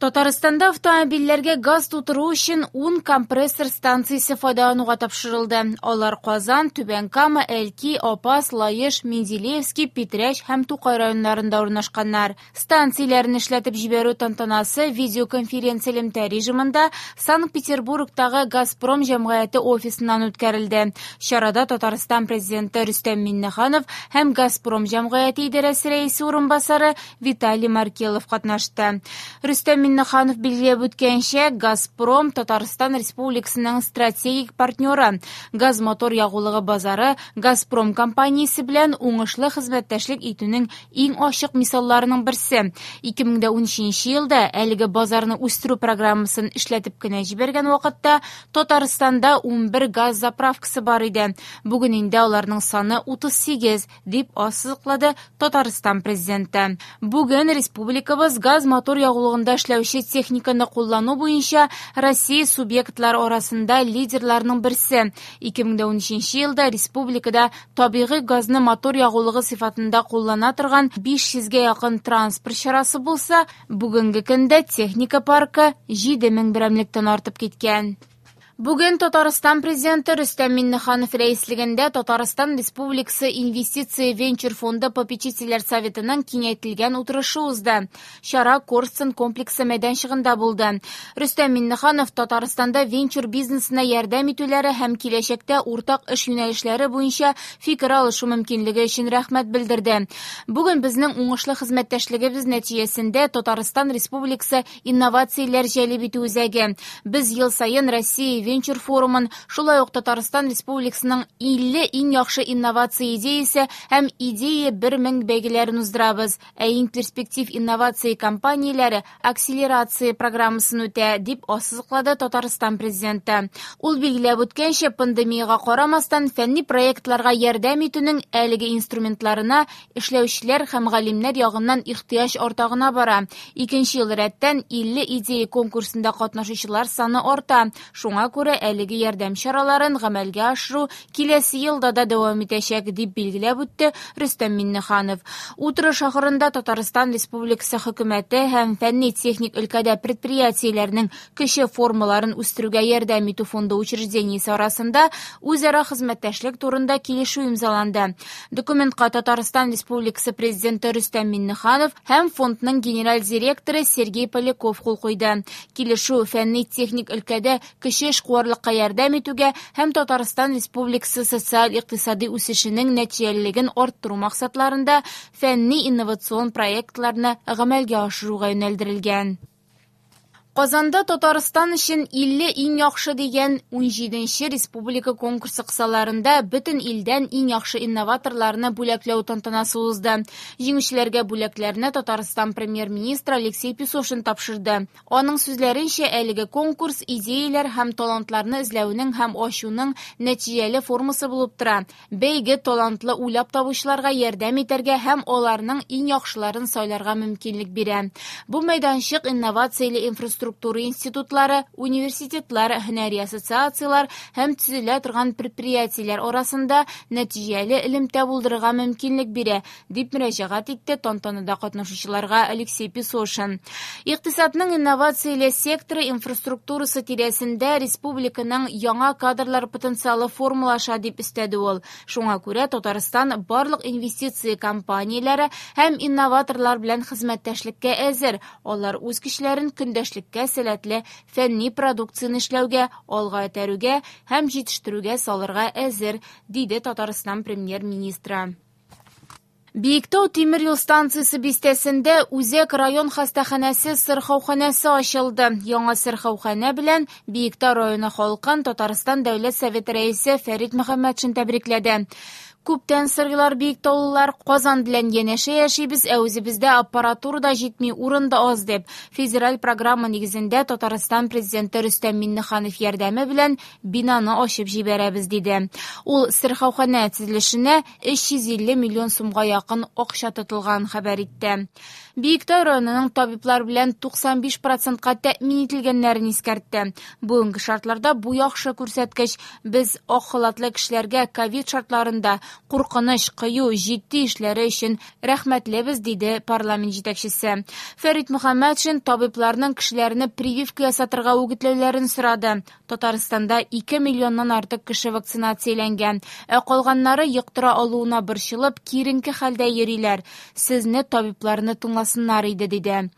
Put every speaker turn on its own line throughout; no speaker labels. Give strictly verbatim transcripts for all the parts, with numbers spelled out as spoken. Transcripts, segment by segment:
Татарстанда автомобильләргә газ тутыру өчен ун компрессор станциясе файдалануга тапшырылды. Алар Казан, Түбән Кама, Әлки, Апас, Лаеш, Менделеевский, Питрәч һәм Тукай районнарында урнашканнар. Станцияләрне эшләтеп җибәрү тантанасы видеоконференция элемтә режимында Санкт-Петербургтагы «Газпром» җәмгыяте офисыннан үткәрелде. Чарада Татарстан президенты Рөстәм Миңнеханов һәм «Газпром» җәмгыяте идарәсе рәисе урынбасары Виталий Маркелов катнашты. Рөстәм Миңнеханов билгеләп үткәнчә, «Газпром» Татарстан Республикасының стратегик партнеры. Газ-мотор ягулыгы базары «Газпром» компаниясе белән уңышлы хезмәттәшлек итүнең иң ачык мисалларының берсе. ике мең дә унөченче елда әлеге базарны үстерү программасын эшләтеп кенә җибәргән вакытта Татарстанда унбер газ заправкасы бар иде. Бүген инде аларның саны утыз сигез, дип ассызыклады Татарстан президенты. Бүген республикабыз газ-мотор ягулыгында эшләүче техниканы куллану буенча Россия субъектлары арасында лидерларның берсе. ике мең дә унөченче елда республикада табигый газны мотор ягулыгы сыйфатында куллана торган биш йөзгә якын транспорт чарасы булса, бүгенге көндә техника паркы җиде мең берәмлектән артып киткән. Бүген Татарстан президенты Рөстәм Миңнеханов рәислегендә Татарстан Республикасы Инвестиция венчур фонды попечительләр советының киңәйтелгән утырышы узды. Чара Корстон комплексы мәйданчыгында булды. Рөстәм Миңнеханов Татарстанда венчур бизнесына ярдәм итүләре һәм киләчәктә уртак эш юнәлешләре буенча фикер алышу мөмкинлеге өчен рәхмәт белдерде. Бүген безнең уңышлы хезмәттәшлегебез нәтиҗәсендә Татарстан Республикасы инновацияләр җәлеп итү үзәге. Без ел саен Россия венчур форумын, шулай ук Татарстан Республикасының илле иң яхшы инновация идеясе һәм идея бер мең бәйгеләрен уздырабыз. Ә иң перспектив инновация компанияләре акселерация программасын үтә, дип ассызыклады Татарстан президенты. Ул билгеләп үткәнчә, пандемиягә карамастан фәнни проектларга ярдәм итүнең әлеге инструментларына эшләүчеләр һәм галимнәр ягыннан ихтыяҗ арта гына бара. Икенче ел рәттән илле идея конкурсында катнашучылар саны арта. Шуңа күрә әлеге ярдәм чараларын гамәлгә ашыру киләсе елда да дәвам итәчәк, дип билгеләп үтте Рөстәм Миңнеханов. Утырыш ахырында Татарстан Республикасы хөкүмәте һәм фәнни-техник өлкәдә предприятиеләрнең кече формаларын үстерүгә ярдәм итү фонды учреждениесе арасында үзара хезмәттәшлек турында килешү имзаланды. Документка Татарстан Республикасы президенты Рөстәм Миңнеханов һәм фондның генераль директоры Сергей Поляков кул куйды. Килешү фәнни-техник өлкәдә кече эшкуарлыкка ярдәм итүгә һәм Татарстан Республикасы социаль-икътисади үсешенең нәтиҗәлелеген арттыру максатларында фәнни-инновацион проектларны гамәлгә ашыруга юнәлдерелгән. Казанда Татарстан өчен илле иң яхшы дигән унҗиденче республика конкурсы кысаларында бөтен илдән иң яхшы инноваторларны бүләкләү тантанасы узды. Җиңүчеләргә бүләкләрне Татарстан премьер-министры Алексей Песошин тапшырды. Аның сүзләренчә, әлеге конкурс идеяләр һәм талантларны эзләүнең һәм ачуның нәтиҗәле формасы булып тора. Бәйге талантлы уйлап табучыларга ярдәм итәргә һәм аларның иң яхшыларын сайларга мөмкинлек бирә. Бу мәйданчык инновацияле инфраструктура институтлары, университетлар, һөнәри ассоциацияләр һәм төзелә торган предприятиеләр арасында нәтиҗәле элемтә булдырырга мөмкинлек бирә, дип мөрәҗәгать итте тантанада катнашучыларга Алексей Песошин. Икътисадның инновацияле секторы инфраструктурасы тирәсендә республиканың яңа кадрлар потенциалы формалаша, дип өстәде ул. Шуңа күрә Татарстан барлык инвестиция компанияләре һәм инноваторлар белән хезмәттәшлеккә әзер. Алар үз көчләрен көндәшлеккә сәләтле фәнни продукцияне эшләүгә, алга этәрүгә һәм җитештерүгә салырга әзер, диде Татарстан премьер-министры. Биектау тимер юл станциясе бистәсендә Үзәк район хастаханәсе сырхауханәсе ачылды. Яңа сырхауханә белән Биектау районы халкын Татарстан Дәүләт Советы рәисе Фәрит Мөхәммәтшин тәбрикләде. Күптән сыргылар биектаулылар Казан белән янәшә яшибез, ә үзебездә аппаратура да җитми, урын да аз дип. Федераль программа нигезендә Татарстан президенты Рөстәм Миңнеханов ярдәме белән бинаны ачып җибәрәбез, диде. Ул сырхауханә төзелешенә өч йөз илле миллион сумга якын акча тотылган хәбәр итте. Биектау районының табиблар белән туксан биш процентка тәэмин ителгәннәрен искәртте. Бүгенге шартларда бу яхшы күрсәткеч. Без ак халатлы кешеләргә ковид шартларында Куркыныч, кыю, җитди эшләре өчен рәхмәтлебез, диде парламент җитәкчесе. Фәрит Мөхәммәтшин табибларның кешеләрне прививка ясатырга үгетләүләрен сорады. Татарстанда ике миллионнан артык кеше вакцинацияләнгән, ә калганнары йоктыра алуына борчылып, киеренке хәлдә йөриләр. Сезне табибларны тыңласыннар иде, диде.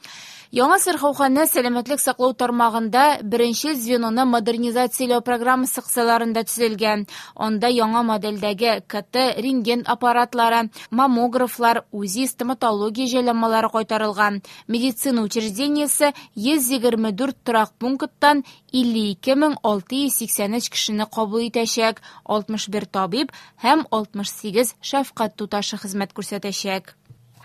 Яңа сырхауханә сәламәтлек саклау тармагында беренче звеноны модернизацияләү программасы кысаларында төзелгән. Анда яңа модельдәге К Т, рентген аппаратлары, маммографлар, УЗИ, стоматология җайланмалары кайтарылган. Медицина учреждениесе йөз егерме дүрт торак пункттан илле ике мең алты йөз сиксән өч кешене кабул итәчәк, алтмыш бер табиб һәм алтмыш сигез шәфкать туташы хезмәт күрсәтәчәк.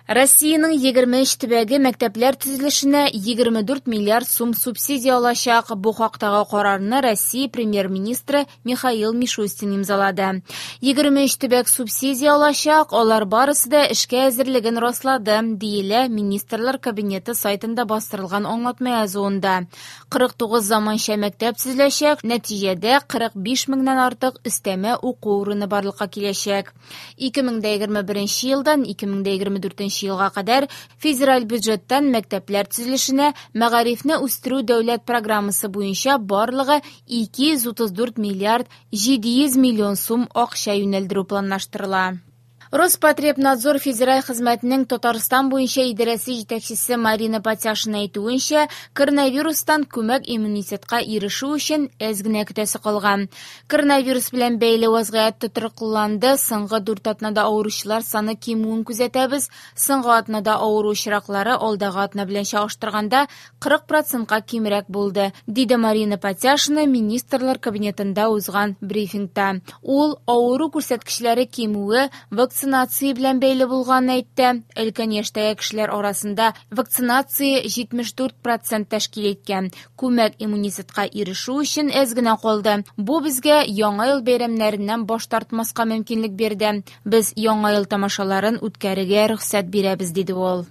Россиянең егерме өч төбәге мәктәпләр төзелешенә егерме дүрт миллиард сум субсидия алачак. Бу хактагы карарны Россия премьер-министры Михаил Мишустин имзалады. егерме өч төбәк субсидия алачак, алар барысы да эшкә әзерлеген раслады, диелә Министрлар Кабинеты сайтында бастырылган аңлатма язуында. кырык тугыз заманча мәктәп төзеләчәк, нәтиҗәдә кырык биш меңнән артык өстәмә уку урыны барлыкка киләчәк. ике мең егерме беренче елдан ике мең егерме дүртенче елга кадәр федераль бюджеттан мәктәпләр төзелешенә Мәгарифне үстерү дәүләт программасы буенча барлыгы ике йөз утыз дүрт миллиард җиде йөз миллион сум акча юнәлдерү планлаштырыла. Роспотребнадзор федераль хезмәтенең Татарстан буенча идарәсе җитәкчесе Марина Патяшина әйтүенчә, коронавирустан күмәк иммунитетка ирешү өчен әз генә көтәсе калган. Коронавирус белән бәйле вазгыять тотрыклыланды. Соңгы дүрт атнада авыручылар саны кимүен күзәтәбез. Соңгы атнада авыру очраклары алдагы атна белән чагыштырганда кырык процентка кимрәк булды, диде Марина Патяшина Министрлар кабинетында узган брифингта. Ул авыру күрсәткечләре кимүе вакцинация белән бәйле булганын әйтте. Өлкән яшьтәге кешеләр арасында вакцинация җитмеш дүрт процент тәшкил иткән. Күмәк иммунитетка ирешү өчен әз генә калды. Бу безгә Яңа ел бәйрәмнәреннән баш тартмаска мөмкинлек бирде. Без Яңа ел тамашаларын үткәрергә рөхсәт бирәбез, диде ул.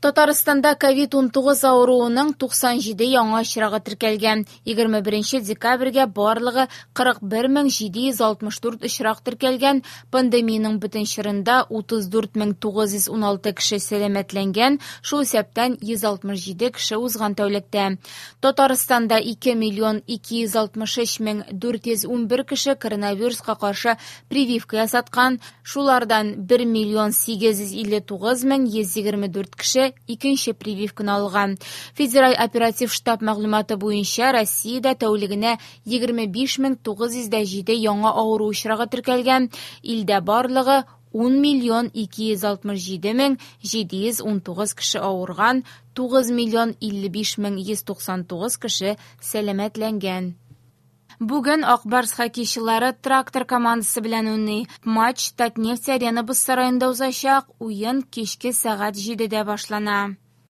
Татарстанда ковид унтугыз авыруының туксан җиде яңа очрагы теркәлгән. егерме беренче декабрьгә барлыгы кырык бер мең җиде йөз алтмыш дүрт очрак теркәлгән. Пандемиянең бөтен чорында утыз дүрт мең тугыз йөз уналты кеше сәламәтләнгән, шул исәптән йөз алтмыш җиде кеше узган тәүлектә. Татарстанда ике миллион ике йөз алтмыш өч мең дүрт йөз унбер кеше коронавируска каршы прививка ясаткан, шулардан бер миллион сигез йөз илле тугыз мең йөз егерме дүрт кеше икенче прививканы алган. Федераль оператив штаб мәгълүматы буенча, Россиядә тәүлегенә егерме биш мең тугыз йөз җиде яңа авыру очрагы теркәлгән. Илдә барлыгы ун миллион ике йөз алтмыш җиде мең җиде йөз унтугыз кеше авырган, тугыз миллион илле биш мең йөз туксан тугыз кеше сәламәтләнгән. Бүген Ак Барс хоккейчылары Трактор командасы белән уйный. Матч Татнефть Арена боз сараенда узачак. Уен кичке сәгать җидедә башлана.